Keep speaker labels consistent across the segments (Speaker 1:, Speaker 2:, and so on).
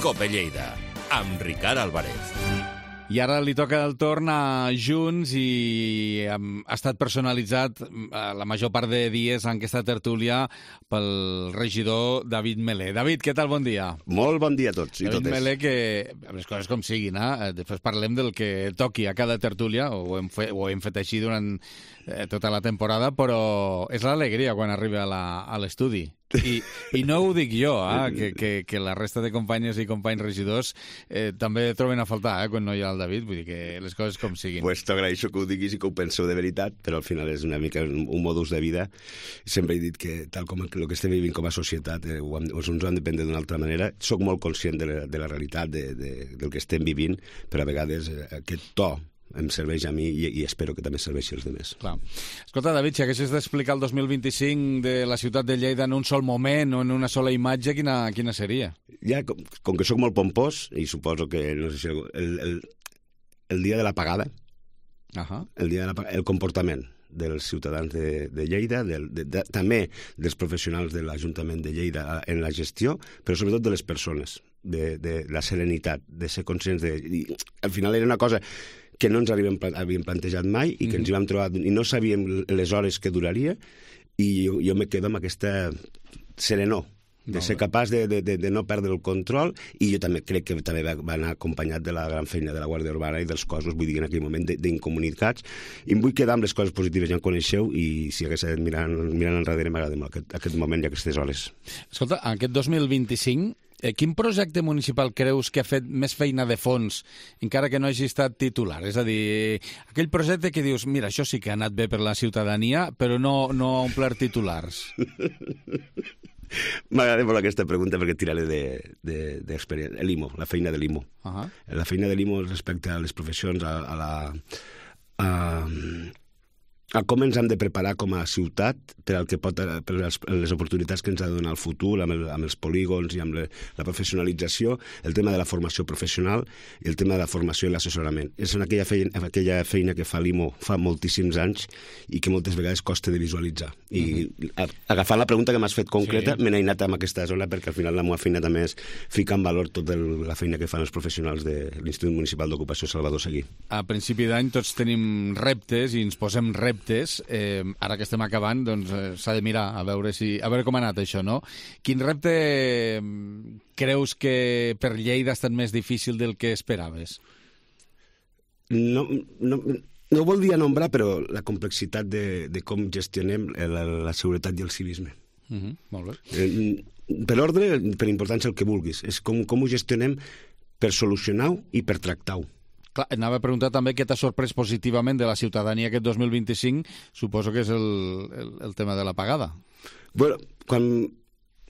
Speaker 1: Cope Lleida, amb Ricard Álvarez.
Speaker 2: I ara li toca el torn a Junts i ha estat personalitzat la major part de dies en aquesta tertúlia pel regidor David Melé. David, què tal? Bon dia.
Speaker 3: Molt bon dia a tots i
Speaker 2: David
Speaker 3: totes.
Speaker 2: Melé, que les coses com siguin, després parlem del que toqui a cada tertúlia, ho hem fet així durant tota la temporada, però és l'alegria quan arriba a l'estudi. I no ho dic jo, que la resta de companyes i companys regidors també troben a faltar quan no hi ha el David, vull dir que les coses com siguin.
Speaker 3: Pues t'agraeixo que ho diguis i que ho penseu de veritat, però al final és una mica un modus de vida. Sempre he dit que tal com el que estem vivint com a societat ens ho hem de prendre d'una altra manera. Soc molt conscient de la realitat del que estem vivint, però a vegades aquest to em serveix a mi i espero que també serveixi als altres.
Speaker 2: Clar. Escolta, David, si haguessis d'explicar el 2025 de la ciutat de Lleida en un sol moment o en una sola imatge, quina seria?
Speaker 3: Ja, com que sóc molt pompós, i suposo que, no sé si el dia de l'apagada, el comportament dels ciutadans de Lleida, també dels professionals de l'Ajuntament de Lleida en la gestió, però sobretot de les persones, de la serenitat, de ser conscients de... I, al final era una cosa que no ens havíem plantejat mai i que ens hi vam trobar i no sabíem les hores que duraria, i jo me quedo amb aquesta serenor de ser capaç de no perdre el control, i jo també crec que també va anar acompanyat de la gran feina de la Guàrdia Urbana i dels cossos, vull dir, en aquell moment d'incomunicats, i em vull quedar amb les coses positives, ja en coneixeu, i si hagués mirant enrere m'agrada molt aquest moment i aquestes hores.
Speaker 2: Escolta, aquest 2025 quin projecte municipal creus que ha fet més feina de fons, encara que no hagi estat titular? És a dir, aquell projecte que dius, mira, això sí que ha anat bé per la ciutadania, però no ha omplert titulars.
Speaker 3: M'agrada molt aquesta pregunta perquè tiraré d'experiència. L'IMO, la feina de l'IMO. La feina de l'IMO respecte a les professions, a com ens hem de preparar com a ciutat per les oportunitats que ens ha de donar el futur, amb els polígons i amb la professionalització, el tema de la formació professional i el tema de la formació i l'assessorament. És aquella feina que fa l'IMO fa moltíssims anys i que moltes vegades costa de visualitzar. I agafant la pregunta que m'has fet concreta, me n'he anat amb aquesta zona perquè al final la meva feina també és ficar en valor tota la feina que fan els professionals de l'Institut Municipal d'Ocupació Salvador Seguí.
Speaker 2: A principi d'any tots tenim reptes i ens posem reptes. Ara que estem acabant, doncs s'ha de mirar a veure com ha anat això, no? Quin repte creus que per Lleida ha estat més difícil del que esperaves?
Speaker 3: No voldria nombrar, però la complexitat de com gestionem la seguretat i el civisme.
Speaker 2: Molt bé.
Speaker 3: Per ordre, per importància, el que vulguis. És com ho gestionem per solucionar-ho i per tractar-ho.
Speaker 2: Clar, anava a preguntar també què t'ha sorprès positivament de la ciutadania aquest 2025, suposo que és el tema de l'apagada.
Speaker 3: Bueno, quan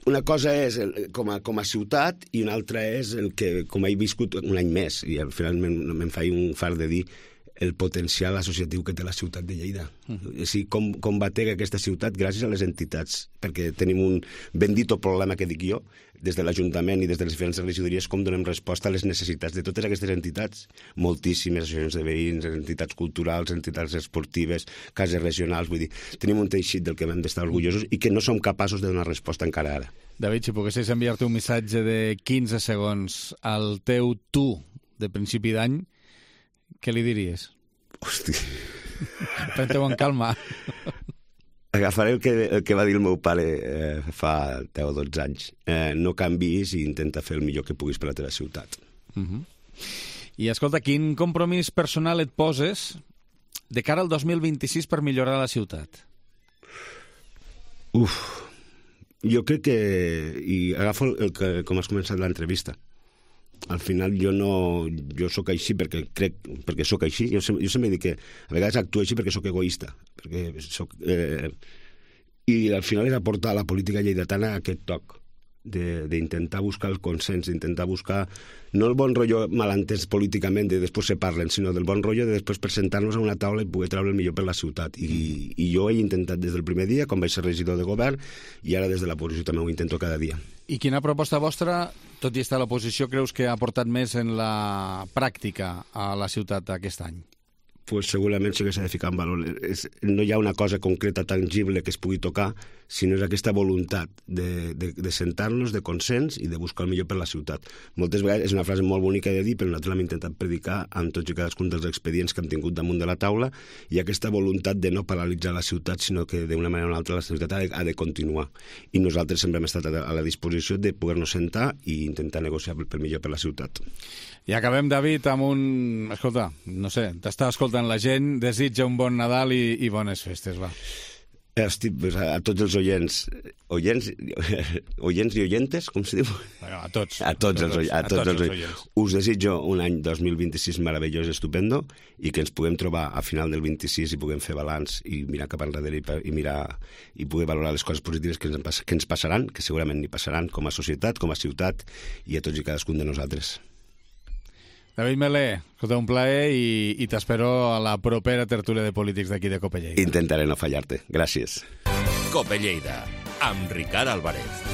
Speaker 3: una cosa és com a ciutat i una altra és el que, com he viscut un any més, i al final me'n faig un fart de dir el potencial associatiu que té la ciutat de Lleida. És a dir, com batega aquesta ciutat gràcies a les entitats, perquè tenim un bendito problema que dic jo, des de l'Ajuntament i des de les diferents regidories, com donem resposta a les necessitats de totes aquestes entitats. Moltíssimes associacions de veïns, entitats culturals, entitats esportives, cases regionals, vull dir, tenim un teixit del que hem d'estar orgullosos i que no som capaços de donar resposta encara ara.
Speaker 2: David, si poguessis enviar-te un missatge de 15 segons al teu tu de principi d'any, què li diries?
Speaker 3: Hosti.
Speaker 2: Pren-te-ho en calma.
Speaker 3: Agafaré el que va dir el meu pare fa 10 o 12 anys. No canviïs i intenta fer el millor que puguis per la teva ciutat.
Speaker 2: I escolta, quin compromís personal et poses de cara al 2026 per millorar la ciutat?
Speaker 3: Jo crec que... I agafo com has començat l'entrevista. Al final jo sóc així perquè sóc així. Jo sempre dic que a vegades actuo així perquè sóc egoista, i al final és aportar a la política lleidatana aquest toc d'intentar buscar el consens, d'intentar buscar no el bon rotllo malentès políticament de després se parlen, sinó del bon rotllo de després presentar-nos a una taula i poder treure el millor per la ciutat. I jo he intentat des del primer dia, quan vaig ser regidor de govern, i ara des de l'oposició també ho intento cada dia.
Speaker 2: I quina proposta vostra, tot i estar a l'oposició, creus que ha aportat més en la pràctica a la ciutat aquest any?
Speaker 3: pues segurament sí que s'ha de ficar en valor. No hi ha una cosa concreta tangible que es pugui tocar, sinó és aquesta voluntat de sentar-nos, de consens i de buscar el millor per la ciutat. Moltes vegades és una frase molt bonica de dir, però nosaltres l'hem intentat predicar en tots i cadascun dels expedients que hem tingut damunt de la taula, i aquesta voluntat de no paralitzar la ciutat, sinó que d'una manera o una altra la ciutat ha de continuar. I nosaltres sempre hem estat a la disposició de poder-nos sentar i intentar negociar pel millor per la ciutat.
Speaker 2: I acabem, David, amb un... Escolta, no sé, t'està escoltant la gent, desitja un bon Nadal i bones festes, va.
Speaker 3: Hosti, pues a tots els oients i oyentes, com se diu?
Speaker 2: Bueno, a tots.
Speaker 3: A tots els oients. Us desitjo un any 2026 meravellós, estupendo, i que ens puguem trobar a final del 26 i puguem fer balanç i mirar cap enrere i poder valorar les coses positives que ens passaran, que segurament n'hi passaran com a societat, com a ciutat i a tots i cadascun de nosaltres.
Speaker 2: David Melé, escolta, un plaer i t'espero a la propera tertúlia de polítics d'aquí de Cope Lleida.
Speaker 3: Intentaré no fallar-te. Gràcies.
Speaker 1: Cope Lleida, amb Ricard Álvarez.